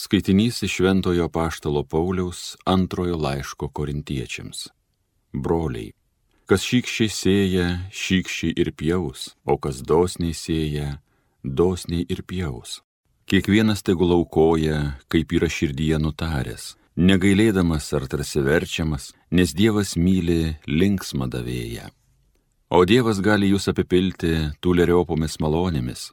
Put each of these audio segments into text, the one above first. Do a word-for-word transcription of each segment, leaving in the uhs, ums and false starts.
Skaitinys iš Šventojo Apaštalo Pauliaus antrojo laiško Korintiečiams. Broliai, kas šykščiai sėja, šykščiai ir pjaus, o kas dosniai sėja, dosniai ir pjaus. Kiekvienas tegul aukoja, kaip yra širdyje nutaręs, negailėdamas ar tarsi verčiamas, nes Dievas myli linksmą davėją. O Dievas gali jūs apipilti tūleriopomis malonėmis,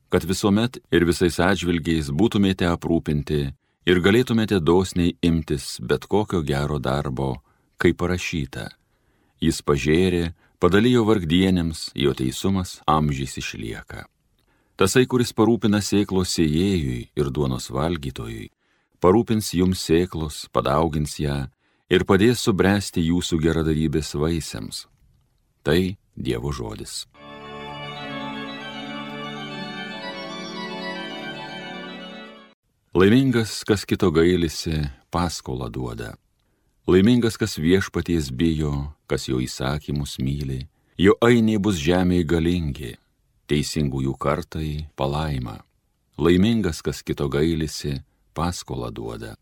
kad visuomet ir visais atžvilgiais būtumėte aprūpinti ir galėtumėte dosniai imtis bet kokio gero darbo, kaip parašyta. Jis pažėrė, padalijo vargdienėms, jo teisumas amžiais išlieka. Tasai, kuris parūpina sėklos sėjėjui ir duonos valgytojui, parūpins jums sėklos, padaugins ją ir padės subręsti jūsų geradarybės vaisiams. Tai Dievo žodis. Laimingas, kas kito gailisi, paskolą duoda. Laimingas, kas viešpaties bijo, kas jo įsakymus myli, jo ainiai bus žemėje galingi, teisingųjų kartai palaima. Laimingas, kas kito gailisi, paskolą duoda.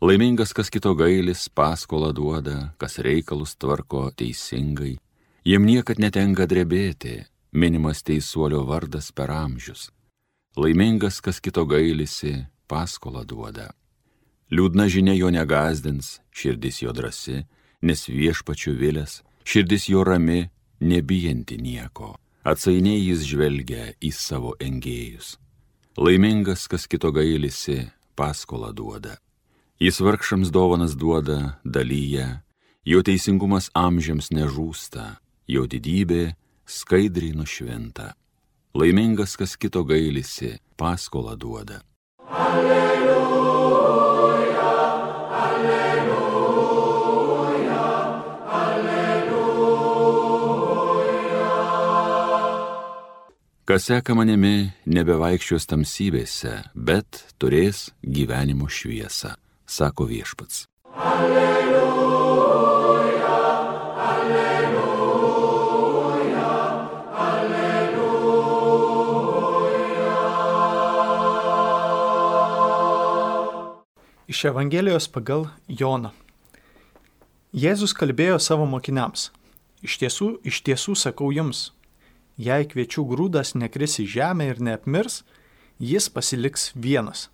Laimingas, kas kito gailis, paskolą duoda, kas reikalus tvarko teisingai, jiem niekad netenka drebėti, minimas teisuolio vardas per amžius. Laimingas, kas kito gailisi, paskolą duoda. Liūdna žinia jo negazdins, širdis jo drąsi, nes viešpačiu vilęs, širdis jo rami, nebijanti nieko. Atsainiai jis žvelgia į savo engėjus. Laimingas, kas kito gailisi, paskolą duoda. Jis vargšams dovanas duoda, dalyja, jo teisingumas amžiams nežūsta, jo didybė skaidriai nušvinta. Laimingas, kas kito gailisi, paskolą duoda. Alleluja, alleluja, alleluja. Kas seka manimi, nebevaikščios tamsybėse, bet turės gyvenimo šviesą, sako viešpats. Alleluja, alleluja, alleluja. Iš Evangelijos pagal Joną. Jėzus kalbėjo savo mokiniams. Iš tiesų, iš tiesų sakau jums, jei kviečių grūdas nekris į žemę ir neapmirs, jis pasiliks vienas.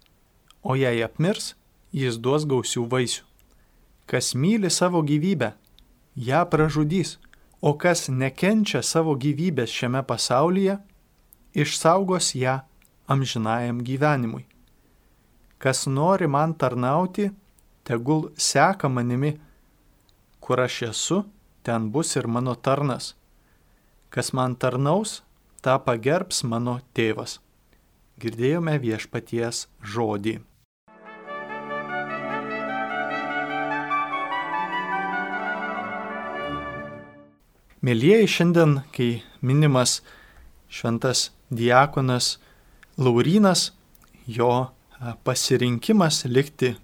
O jei apmirs, jis duos gausių vaisių. Kas myli savo gyvybę, ją pražudys, o kas nekenčia savo gyvybės šiame pasaulyje, išsaugos ją amžinajam gyvenimui. Kas nori man tarnauti, tegul seka manimi, kur aš esu, ten bus ir mano tarnas. Kas man tarnaus, tą pagerbs mano tėvas. Girdėjome viešpaties žodį. Mielieji, šiandien, kai minimas šventas diakonas Laurynas, jo pasirinkimas likti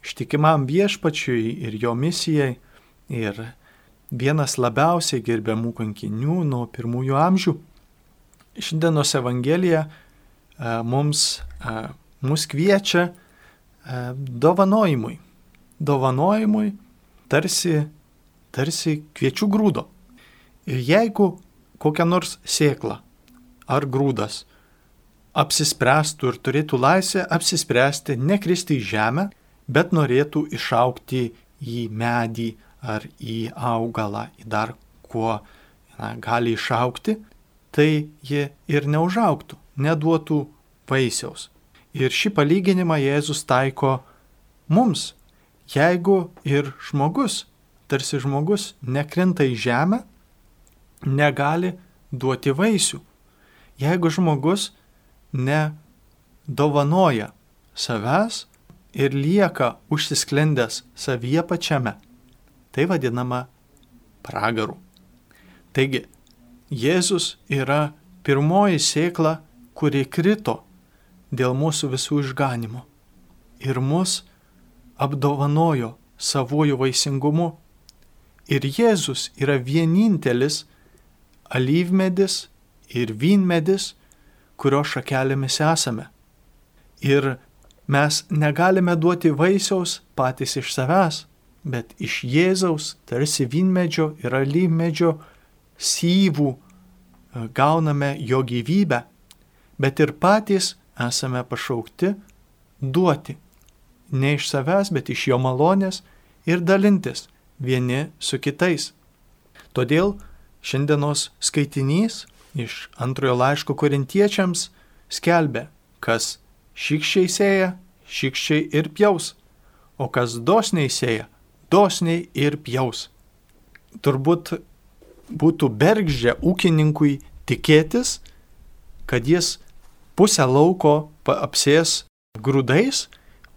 ištikimam viešpačiui ir jo misijai ir vienas labiausiai gerbiamų kankinių nuo pirmųjų amžių. Šiandienos Evangelija mums, mus kviečia dovanojimui. Dovanojimui tarsi, tarsi kviečių grūdo. Ir jeigu kokia nors sėkla ar grūdas apsispręstų ir turėtų laisvę apsispręsti nekristi į žemę, bet norėtų išaugti į medį ar į augalą, į dar kuo na, gali išaugti, tai ji ir neužaugtų, neduotų vaisiaus. Ir šį palyginimą Jėzus taiko mums. Jeigu ir žmogus, tarsi žmogus nekrinta į žemę, negali duoti vaisių. Jeigu žmogus nedovanoja savęs ir lieka užsisklendęs savyje pačiame, tai vadinama pragaru. Taigi, Jėzus yra pirmoji sėkla, kuri krito dėl mūsų visų išganimo ir mus apdovanojo savuoju vaisingumu. Ir Jėzus yra vienintelis alyvmedis ir vynmedis, kurio šakelėmis esame. Ir Mes negalime duoti vaisiaus patys iš savęs, bet iš Jėzaus, tarsi vynmedžio ir alyvmedžio syvų gauname jo gyvybę, bet ir patys esame pašaukti duoti. Ne iš savęs, bet iš jo malonės ir dalintis vieni su kitais. Todėl šiandienos skaitinys iš antrojo laiško korintiečiams skelbia, kas šykščiai sėja, šykščiai ir pjaus, o kas dosniai sėja, dosniai ir pjaus. Turbūt būtų bergždžia ūkininkui tikėtis, kad jis pusę lauko apsės grūdais,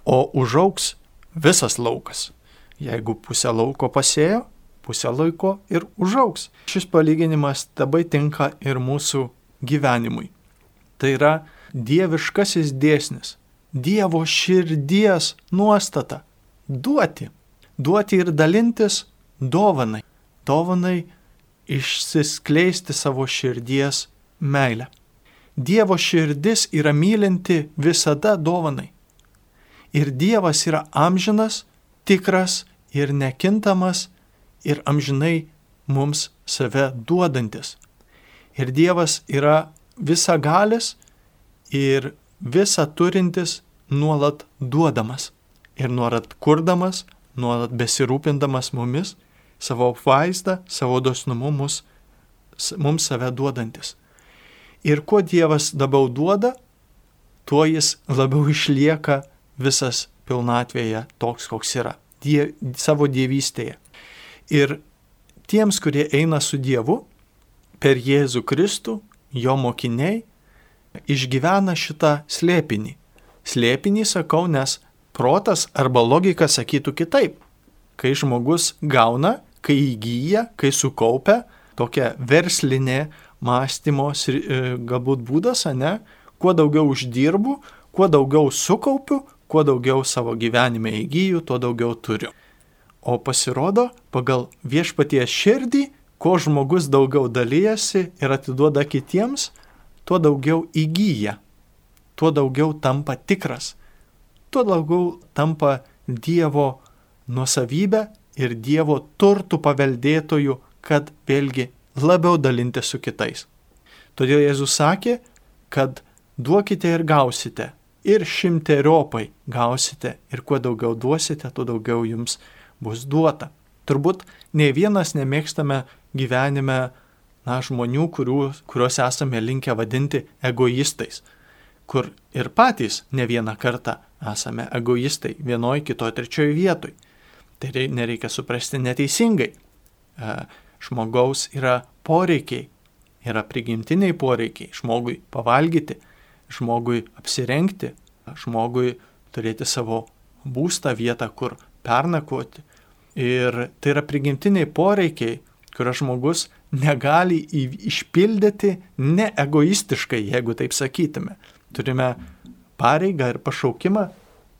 o užaugs visas laukas. Jeigu pusę lauko pasėjo, pusę laiko ir užaugs. Šis palyginimas labai tinka ir mūsų gyvenimui. Tai yra dieviškasis dėsnis, Dievo širdies nuostata – duoti. Duoti ir dalintis dovanai. Dovanai išsiskleisti savo širdies meilę. Dievo širdis yra mylinti visada dovanai. Ir Dievas yra amžinas, tikras ir nekintamas ir amžinai mums save duodantis. Ir Dievas yra visagalis ir visa turintis nuolat duodamas. Ir nuolat kurdamas, nuolat besirūpindamas mumis, savo vaizdą, savo dosnumu mus, mums save duodantis. Ir kuo Dievas labiau duoda, tuo jis labiau išlieka visas pilnatvėje toks, koks yra, die, savo dievystėje. Ir tiems, kurie eina su Dievu, per Jėzų Kristų, jo mokiniai, išgyvena šitą slėpinį. Slėpinį sakau, nes protas arba logika sakytų kitaip. Kai žmogus gauna, kai įgyja, kai sukaupia, tokia verslinė mąstymo galbūt būdas, ane, kuo daugiau uždirbu, kuo daugiau sukaupiu, kuo daugiau savo gyvenime įgyju, tuo daugiau turiu. O pasirodo, pagal viešpaties širdį, kuo žmogus daugiau dalyjasi ir atiduoda kitiems, tuo daugiau įgyja, tuo daugiau tampa tikras, tuo daugiau tampa Dievo nuosavybė ir Dievo turtų paveldėtojų, kad vėlgi labiau dalinti su kitais. Todėl Jėzus sakė, kad duokite ir gausite, ir šimteriopai gausite, ir kuo daugiau duosite, tuo daugiau jums bus duota. Turbūt nei vienas nemėgstame gyvenime na, žmonių, kurių, kuriuos esame linkę vadinti egoistais, kur ir patys ne vieną kartą esame egoistai vienoj, kitoj, trečioj vietoj. Tai nereikia suprasti neteisingai. Žmogaus yra poreikiai, yra prigimtiniai poreikiai, žmogui pavalgyti, žmogui apsirengti, žmogui turėti savo būstą, vietą, kur pernakvoti. Ir tai yra prigimtiniai poreikiai, kurio žmogus negali išpildyti neegoistiškai, jeigu taip sakytume. Turime pareigą ir pašaukimą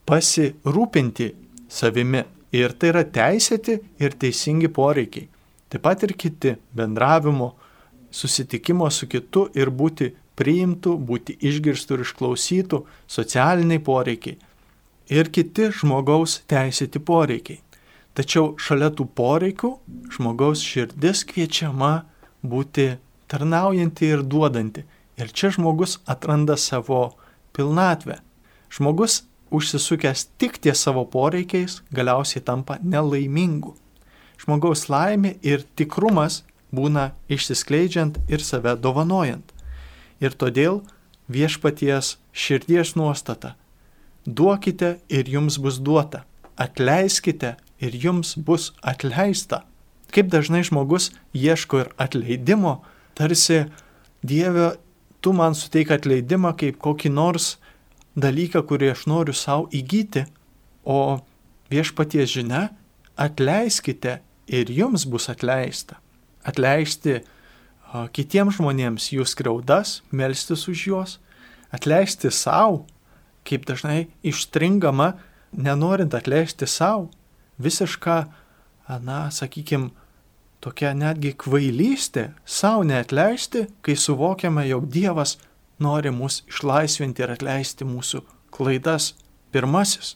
pasirūpinti savimi. Ir tai yra teisėti ir teisingi poreikiai. Taip pat ir kiti bendravimo, susitikimo su kitu ir būti priimtų, būti išgirstų ir išklausytų socialiniai poreikiai. Ir kiti žmogaus teisėti poreikiai. Tačiau šalia tų poreikių žmogaus širdis kviečiama būti tarnaujanti ir duodanti. Ir čia žmogus atranda savo pilnatvę. Žmogus užsisukęs tik ties savo poreikiais galiausiai tampa nelaimingu. Žmogaus laimė ir tikrumas būna išsiskleidžiant ir save dovanojant. Ir todėl viešpaties širdies nuostata. Duokite ir jums bus duota. Atleiskite ir jums bus atleista. Kaip dažnai žmogus ieško ir atleidimo, tarsi Dieve, tu man suteik atleidimą kaip kokį nors dalyką, kurį aš noriu savo įgyti, o viešpaties žinia, atleiskite ir jums bus atleista. Atleisti a, kitiems žmonėms jų skriaudas, melstis už juos, atleisti savo, kaip dažnai išstringama, nenorint atleisti savo, visiška, na, sakykime, tokia netgi kvailystė, savo neatleisti, kai suvokiame, jog Dievas nori mus išlaisvinti ir atleisti mūsų klaidas, pirmasis.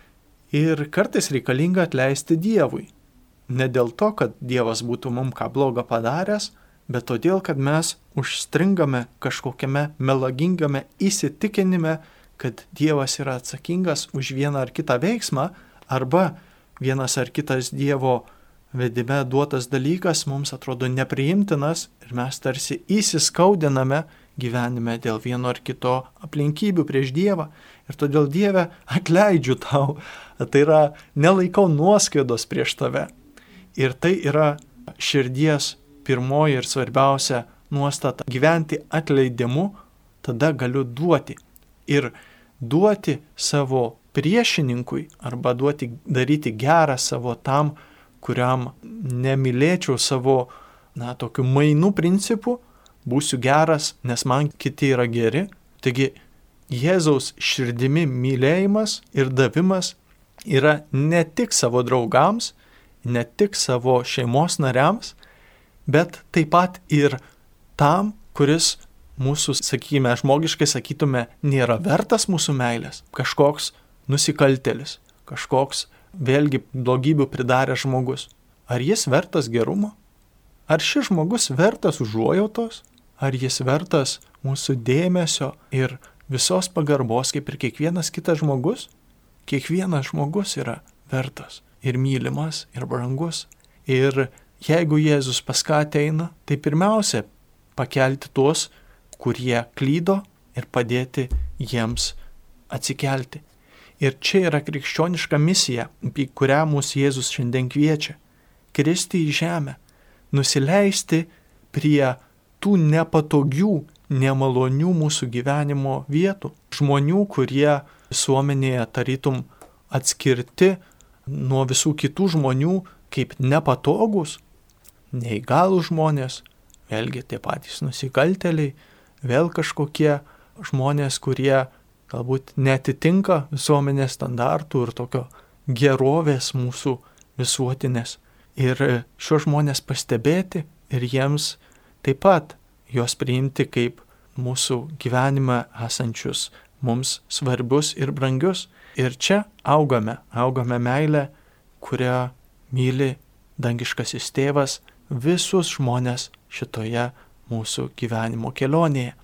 Ir kartais reikalinga atleisti Dievui. Ne dėl to, kad Dievas būtų mums ką blogo padaręs, bet todėl, kad mes užstringame kažkokiame melagingame įsitikinime, kad Dievas yra atsakingas už vieną ar kitą veiksmą, arba vienas ar kitas Dievo vedime duotas dalykas mums atrodo nepriimtinas ir mes tarsi įsiskaudiname gyvenime dėl vieno ar kito aplinkybių prieš Dievą. Ir todėl Dieve atleidžiu tau, tai yra nelaikau nuoskaidos prieš tave. Ir tai yra širdies pirmoji ir svarbiausia nuostata. Gyventi atleidimu, tada galiu duoti. Ir duoti savo priešininkui arba duoti, daryti gerą savo tam, kuriam nemylėčiau savo, na, tokių mainų principų, būsiu geras, nes man kiti yra geri. Taigi Jėzaus širdimi mylėjimas ir davimas yra ne tik savo draugams, ne tik savo šeimos nariams, bet taip pat ir tam, kuris mūsų, sakykime, žmogiškai sakytume, nėra vertas mūsų meilės. Kažkoks nusikaltėlis, kažkoks vėlgi blogybių pridaręs žmogus. Ar jis vertas gerumo? Ar šis žmogus vertas užuojautos? Ar jis vertas mūsų dėmesio ir visos pagarbos, kaip ir kiekvienas kitas žmogus? Kiekvienas žmogus yra vertas ir mylimas ir brangus. Ir jeigu Jėzus pas ką ateina, tai pirmiausia pakelti tuos, kurie klydo ir padėti jiems atsikelti. Ir čia yra krikščioniška misija, į kurią mūsų Jėzus šiandien kviečia. Kristi į žemę, nusileisti prie tų nepatogių, nemalonių mūsų gyvenimo vietų. Žmonių, kurie visuomenėje tarytum atskirti nuo visų kitų žmonių kaip nepatogus, neįgalūs žmonės, vėlgi tie patys nusikaltėliai, vėl kažkokie žmonės, kurie galbūt netitinka visuomenės standartų ir tokio gerovės mūsų visuotinės. Ir šios žmonės pastebėti ir jiems taip pat juos priimti kaip mūsų gyvenime esančius mums svarbius ir brangius. Ir čia augame, augame meilę, kurią myli dangiškasis tėvas visus žmonės šitoje mūsų gyvenimo kelionėje.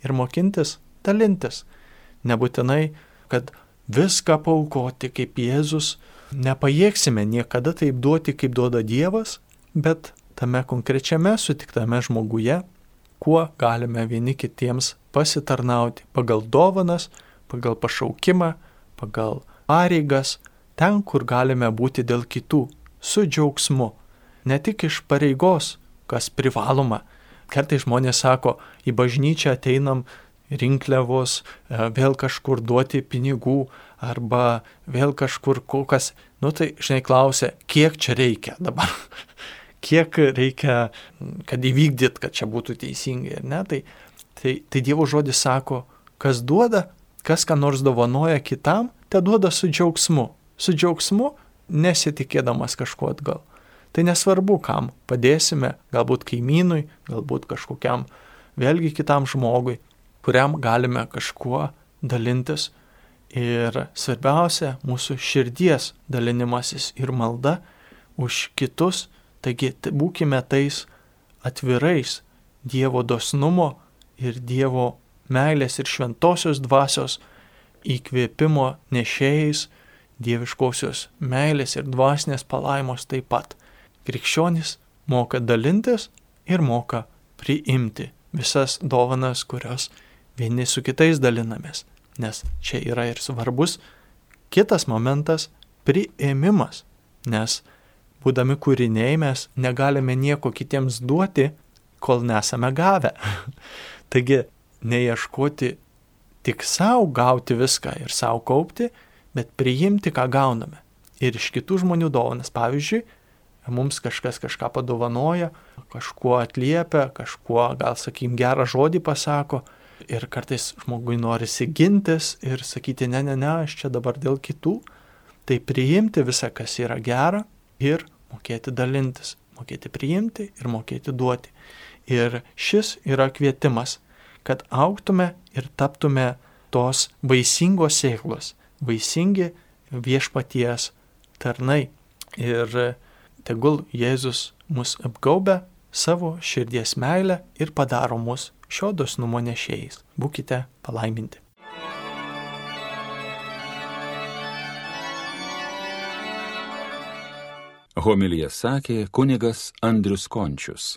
Ir mokintis, dalintis. Nebūtinai, kad viską paaukoti kaip Jėzus, nepajėgsime niekada taip duoti, kaip duoda Dievas, bet tame konkrečiame sutiktame žmoguje, kuo galime vieni kitiems pasitarnauti pagal dovanas, pagal pašaukimą, pagal pareigas, ten, kur galime būti dėl kitų, su džiaugsmu, ne tik iš pareigos, kas privaloma. Kartais žmonės sako, į bažnyčią ateinam rinkliavos, vėl kažkur duoti pinigų, arba vėl kažkur kokas, nu tai, žinai, klausia, kiek čia reikia dabar, kiek reikia, kad įvykdyt, kad čia būtų teisingai, ar ne? Tai, tai, tai Dievo žodis sako, kas duoda, kas ką nors dovanoja kitam, te duoda su džiaugsmu, su džiaugsmu nesitikėdamas kažko atgal. Tai nesvarbu, kam padėsime, galbūt kaimynui, galbūt kažkokiam vėlgi kitam žmogui, kuriam galime kažkuo dalintis. Ir svarbiausia, mūsų širdies dalinimasis ir malda už kitus, taigi būkime tais atvirais Dievo dosnumo ir Dievo meilės ir šventosios dvasios įkvėpimo nešėjais, dieviškosios meilės ir dvasinės palaimos taip pat. Krikščionis moka dalintis ir moka priimti visas dovanas, kurios vieni su kitais dalinamės, nes čia yra ir svarbus kitas momentas – priėmimas, nes būdami kūriniai mes negalime nieko kitiems duoti, kol nesame gavę. Taigi neieškoti tik savo gauti viską ir savo kaupti, bet priimti, ką gauname. Ir iš kitų žmonių dovanas, pavyzdžiui, mums kažkas kažką padovanoja, kažkuo atliepia, kažkuo, gal sakykim, gerą žodį pasako, ir kartais žmogui norisi gintis ir sakyti, ne, ne, ne, aš čia dabar dėl kitų. Tai priimti visą, kas yra gera ir mokėti dalintis, mokėti priimti ir mokėti duoti. Ir šis yra kvietimas, kad augtume ir taptume tos vaisingos sėklos, vaisingi viešpaties tarnai. Ir tegul Jėzus mus apgaubia savo širdies meilę ir padaro mus šio dosnumo nešėjais. Būkite palaiminti. Homiliją sakė kunigas Andrius Končius.